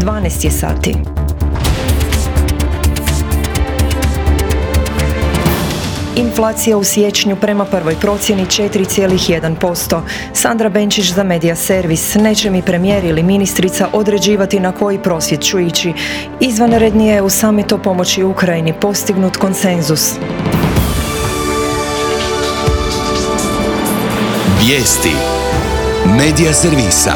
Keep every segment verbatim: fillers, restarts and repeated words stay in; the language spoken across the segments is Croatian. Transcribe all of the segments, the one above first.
dvanaest je sati. Inflacija u siječnju prema prvoj procjeni četiri zarez jedan posto. Sandra Benčić za Medija Servis. Neće mi premijer ili ministrica određivati na koji prosvjed ću ići. Izvanredni je u samitu o pomoći Ukrajini postignut konsenzus. Vijesti Medija Servisa.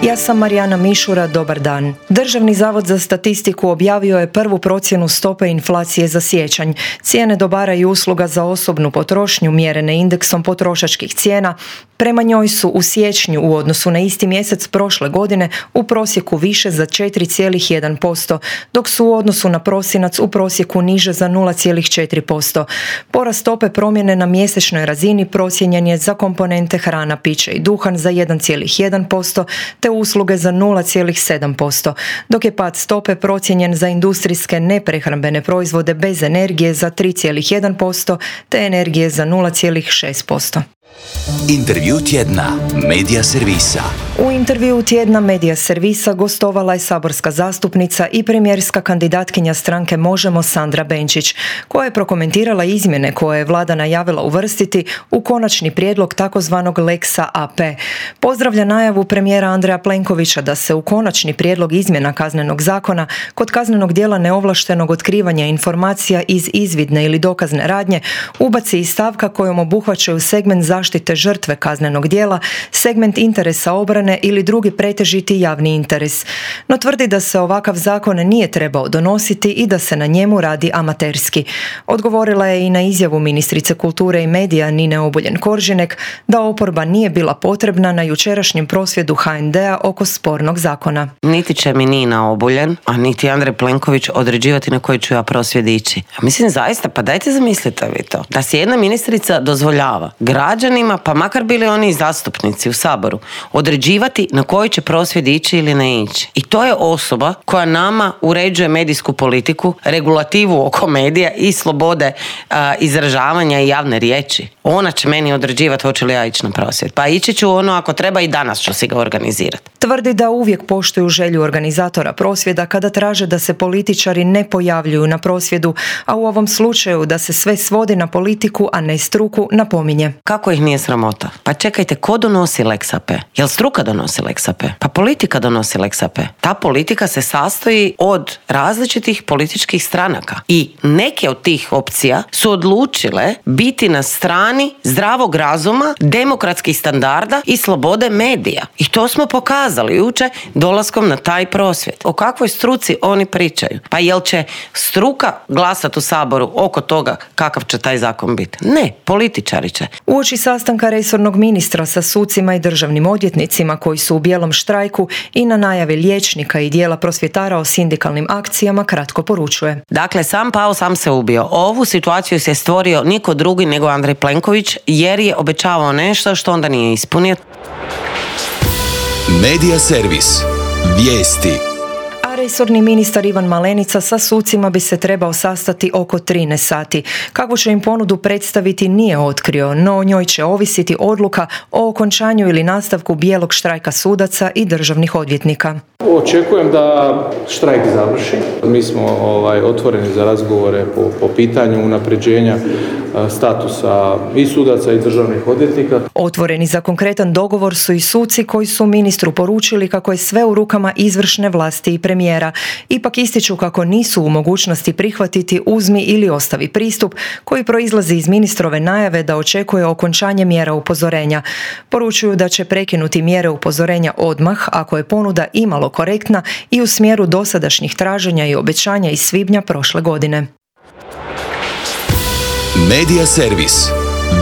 Ja sam Marijana Mišura, dobar dan. Državni zavod za statistiku objavio je prvu procjenu stope inflacije za siječanj. Cijene dobara i usluga za osobnu potrošnju mjerene indeksom potrošačkih cijena prema njoj su u siječnju u odnosu na isti mjesec prošle godine u prosjeku više za četiri zarez jedan posto, dok su u odnosu na prosinac u prosjeku niže za nula zarez četiri posto. Porast stope promjene na mjesečnoj razini procijenjen je za komponente hrana, piće i duhan za jedan zarez jedan posto te usluge za nula zarez sedam posto, dok je pad stope procijenjen za industrijske neprehrambene proizvode bez energije za tri zarez jedan posto te energije za nula zarez šest posto. Intervju tjedna Medija Servisa. U intervju tjedna Medija Servisa gostovala je saborska zastupnica i premijerska kandidatkinja stranke Možemo Sandra Benčić, koja je prokomentirala izmjene koje je vlada najavila uvrstiti u konačni prijedlog takozvanog Lexa A P. Pozdravlja najavu premijera Andreja Plenkovića da se u konačni prijedlog izmjena kaznenog zakona kod kaznenog djela neovlaštenog otkrivanja informacija iz izvidne ili dokazne radnje ubaci i stavka kojom obuhvaćaju segment zaštite žrtve kaznenog djela, segment interesa obrane ili drugi pretežiti javni interes. No tvrdi da se ovakav zakon nije trebao donositi i da se na njemu radi amaterski. Odgovorila je i na izjavu ministrice kulture i medija Nine Obuljen-Koržinek da oporba nije bila potrebna na jučerašnjem prosvjedu H N D-a oko spornog zakona. Niti će mi Nina Obuljen, a niti Andrej Plenković određivati na koji ću ja prosvjed ići. Mislim zaista, pa dajte zamislite vi to. Da si jedna ministrica dozvoljava građanima, pa makar bili oni i zastupnici u Saboru, određivati na koji će prosvjed ići ili ne ići. I to je osoba koja nama uređuje medijsku politiku, regulativu oko medija i slobode a, izražavanja i javne riječi. Ona će meni određivati hoće li ja ići na prosvjed. Pa ići ću ono ako treba i danas ću si ga organizirati. Tvrdi da uvijek poštuju želju organizatora prosvjeda kada traže da se političari ne pojavljuju na prosvjedu, a u ovom slučaju da se sve svodi na politiku, a ne struku, napominje. Kako ih nije sramota? Pa čekajte, ko donosi Lex A P? Jel struka donosi Lex A P? Pa politika donosi Lex A P. Ta politika se sastoji od različitih političkih stranaka i neke od tih opcija su odlučile biti na strani zdravog razuma, demokratskih standarda i slobode medija. I to smo pokazali jučer dolaskom na taj prosvjed. O kakvoj struci oni pričaju? Pa jel će struka glasati u Saboru oko toga kakav će taj zakon biti? Ne, političari će. Uoči sastanka resornog ministra sa sucima i državnim odvjetnicima koji su u bijelom štrajku i na najave liječnika i dijela prosvjetara o sindikalnim akcijama kratko poručuje. Dakle, sam pao, sam se ubio. Ovu situaciju se stvorio niko drugi nego Andrej Plenković jer je obećavao nešto što onda nije ispunio. Medija Servis. Vijesti. Resorni ministar Ivan Malenica sa sucima bi se trebao sastati oko trinaest sati. Kakvu će im ponudu predstaviti nije otkrio, no o njoj će ovisiti odluka o okončanju ili nastavku bijelog štrajka sudaca i državnih odvjetnika. Očekujem da štrajk završi. Mi smo ovaj, otvoreni za razgovore po, po pitanju unapređenja statusa i sudaca i državnih odvjetnika. Otvoreni za konkretan dogovor su i suci koji su ministru poručili kako je sve u rukama izvršne vlasti i premijera. Ipak ističu kako nisu u mogućnosti prihvatiti uzmi ili ostavi pristup koji proizlazi iz ministrove najave da očekuje okončanje mjera upozorenja. Poručuju da će prekinuti mjere upozorenja odmah ako je ponuda imalo korektna i u smjeru dosadašnjih traženja i obećanja iz svibnja prošle godine. Medija Servis.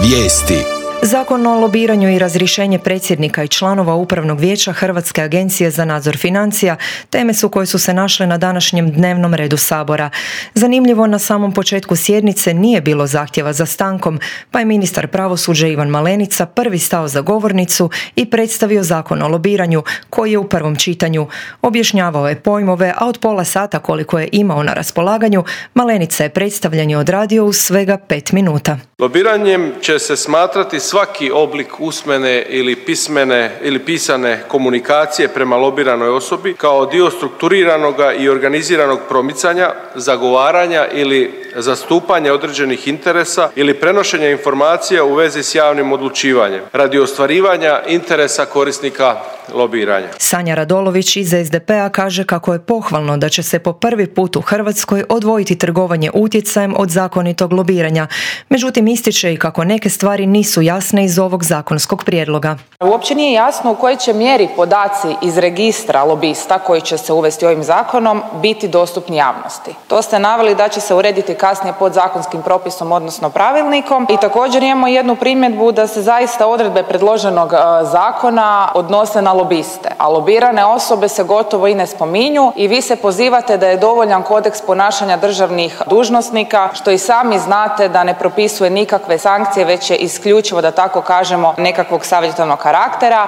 Vijesti. Zakon o lobiranju i razrješenje predsjednika i članova Upravnog vijeća Hrvatske agencije za nadzor financija teme su koje su se našle na današnjem dnevnom redu Sabora. Zanimljivo, na samom početku sjednice nije bilo zahtjeva za stankom, pa je ministar pravosuđa Ivan Malenica prvi stao za govornicu i predstavio Zakon o lobiranju koji je u prvom čitanju. Objašnjavao je pojmove, a od pola sata koliko je imao na raspolaganju, Malenica je predstavljanje odradio u svega pet minuta. Lobiranjem će se smatrati svaki oblik usmene ili pismene ili pisane komunikacije prema lobiranoj osobi kao dio strukturiranoga i organiziranog promicanja, zagovaranja ili zastupanja određenih interesa ili prenošenja informacija u vezi s javnim odlučivanjem radi ostvarivanja interesa korisnika lobiranja. Sanja Radolović iz es de pe a kaže kako je pohvalno da će se po prvi put u Hrvatskoj odvojiti trgovanje utjecajem od zakonitog lobiranja. Međutim, ističe i kako neke stvari nisu jasne iz ovog zakonskog prijedloga. Uopće nije jasno u kojoj će mjeri podaci iz registra lobista koji će se uvesti ovim zakonom biti dostupni javnosti. To ste naveli da će se urediti kasnije podzakonskim propisom, odnosno pravilnikom. I također imamo jednu primjedbu da se zaista odredbe predloženog zakona odnose na lobiste, a lobirane osobe se gotovo i ne spominju i vi se pozivate da je dovoljan kodeks ponašanja državnih dužnosnika, što i sami znate da ne propisuje nikakve sankcije, već je isključivo, da tako kažemo, nekakvog savjetodavnog karaktera.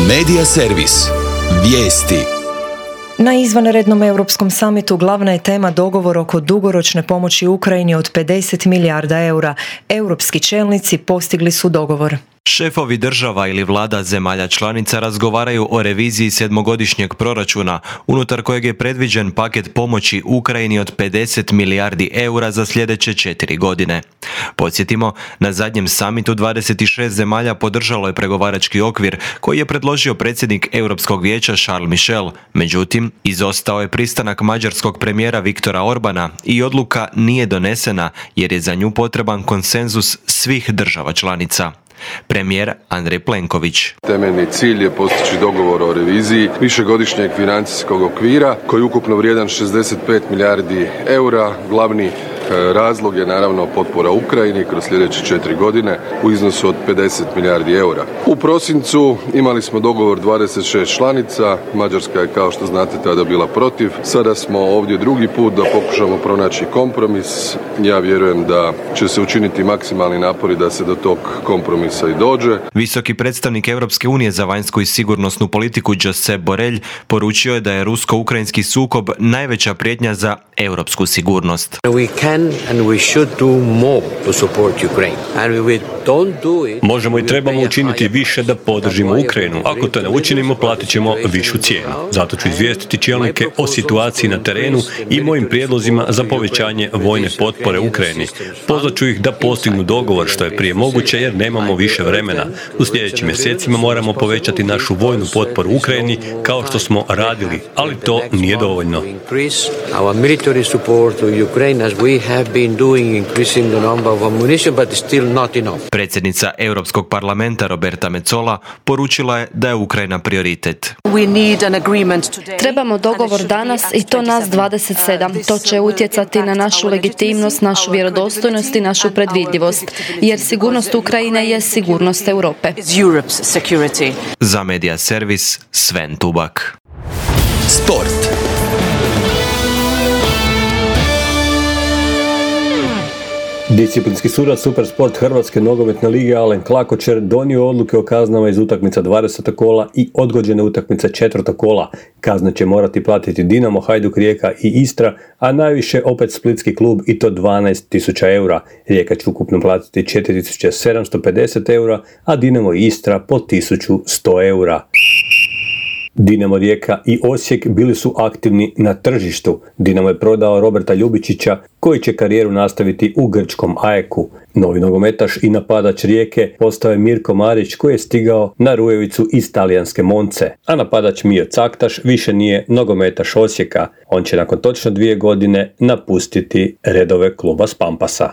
Medija servis. Vijesti. Na izvanrednom europskom samitu glavna je tema dogovor oko dugoročne pomoći Ukrajini od pedeset milijarda eura. Europski čelnici postigli su dogovor. Šefovi država ili vlada zemalja članica razgovaraju o reviziji sedmogodišnjeg proračuna, unutar kojeg je predviđen paket pomoći Ukrajini od pedeset milijardi eura za sljedeće četiri godine. Podsjetimo, na zadnjem samitu dvadeset šest zemalja podržalo je pregovarački okvir koji je predložio predsjednik Europskog vijeća Charles Michel. Međutim, izostao je pristanak mađarskog premijera Viktora Orbana i odluka nije donesena jer je za nju potreban konsenzus svih država članica. Premijer Andrej Plenković. Temeljni cilj je postići dogovor o reviziji višegodišnjeg financijskog okvira koji je ukupno vrijedan šezdeset pet milijardi eura. Glavni razlog je naravno potpora Ukrajini kroz sljedeće četiri godine u iznosu od pedeset milijardi eura. U prosincu imali smo dogovor dvadeset šest članica, Mađarska je kao što znate tada bila protiv. Sada smo ovdje drugi put da pokušamo pronaći kompromis. Ja vjerujem da će se učiniti maksimalni napori da se do tog kompromisa i dođe. Visoki predstavnik Europske unije za vanjsku i sigurnosnu politiku Josep Borrell poručio je da je rusko-ukrajinski sukob najveća prijetnja za europsku sigurnost. Možemo i trebamo učiniti više da podržimo Ukrajinu. Ako to ne učinimo, platit ćemo višu cijenu. Zato ću izvijestiti čelnike o situaciji na terenu i mojim prijedlozima za povećanje vojne potpore Ukrajini. Pozvat ću ih da postignu dogovor što je prije moguće jer nemamo više vremena. U sljedećim mjesecima moramo povećati našu vojnu potporu Ukrajini kao što smo radili, ali to nije dovoljno. Predsjednica Europskog parlamenta Roberta Metsola poručila je da je Ukrajina prioritet. Trebamo dogovor danas i to nas dvadeset sedam. To će utjecati na našu legitimnost, našu vjerodostojnost i našu predvidljivost, jer sigurnost Ukrajine je sigurnost Europe. Za Medija servis Sven Tubak. Sport. Disciplinski sudac Supersport Hrvatske nogometne lige Alen Klakočer donio odluke o kaznama iz utakmica dvadesetog kola i odgođene utakmice četvrtog kola. Kazne će morati platiti Dinamo, Hajduk, Rijeka i Istra, a najviše opet splitski klub i to dvanaest tisuća eura. Rijeka će ukupno platiti četiri tisuće sedamsto pedeset eura, a Dinamo i Istra po tisuću sto eura. Dinamo, Rijeka i Osijek bili su aktivni na tržištu. Dinamo je prodao Roberta Ljubičića koji će karijeru nastaviti u grčkom Ajeku. Novi nogometaš i napadač Rijeke postao je Mirko Marić koji je stigao na Rujevicu iz talijanske Monce. A napadač Mio Caktaš više nije nogometaš Osijeka. On će nakon točno dvije godine napustiti redove kluba s Pampasa.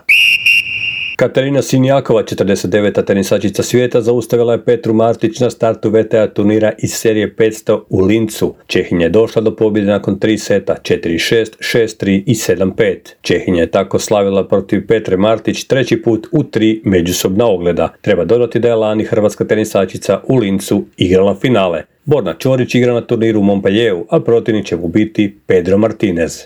Katarina Sinjakova, četrdeset deveta tenisačica svijeta, zaustavila je Petru Martić na startu ve te a turnira iz serije petsto u Lincu. Čehinja je došla do pobjede nakon tri seta, četiri šest, šest tri i sedam pet. Čehinja je tako slavila protiv Petre Martić treći put u tri međusobna ogleda. Treba dodati da je lani hrvatska tenisačica u Lincu igrala finale. Borna Čorić igra na turniru u Montpellieru, a protivnik će mu biti Pedro Martinez.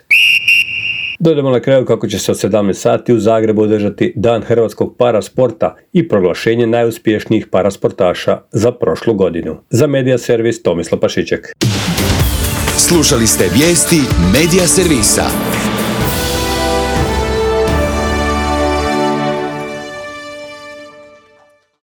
Dodamo na kraju kako će se od sedamnaest sati u Zagrebu održati Dan hrvatskog parasporta i proglašenje najuspješnijih parasportaša za prošlu godinu. Za Medija servis Tomislav Pašiček. Slušali ste vijesti Medija servisa.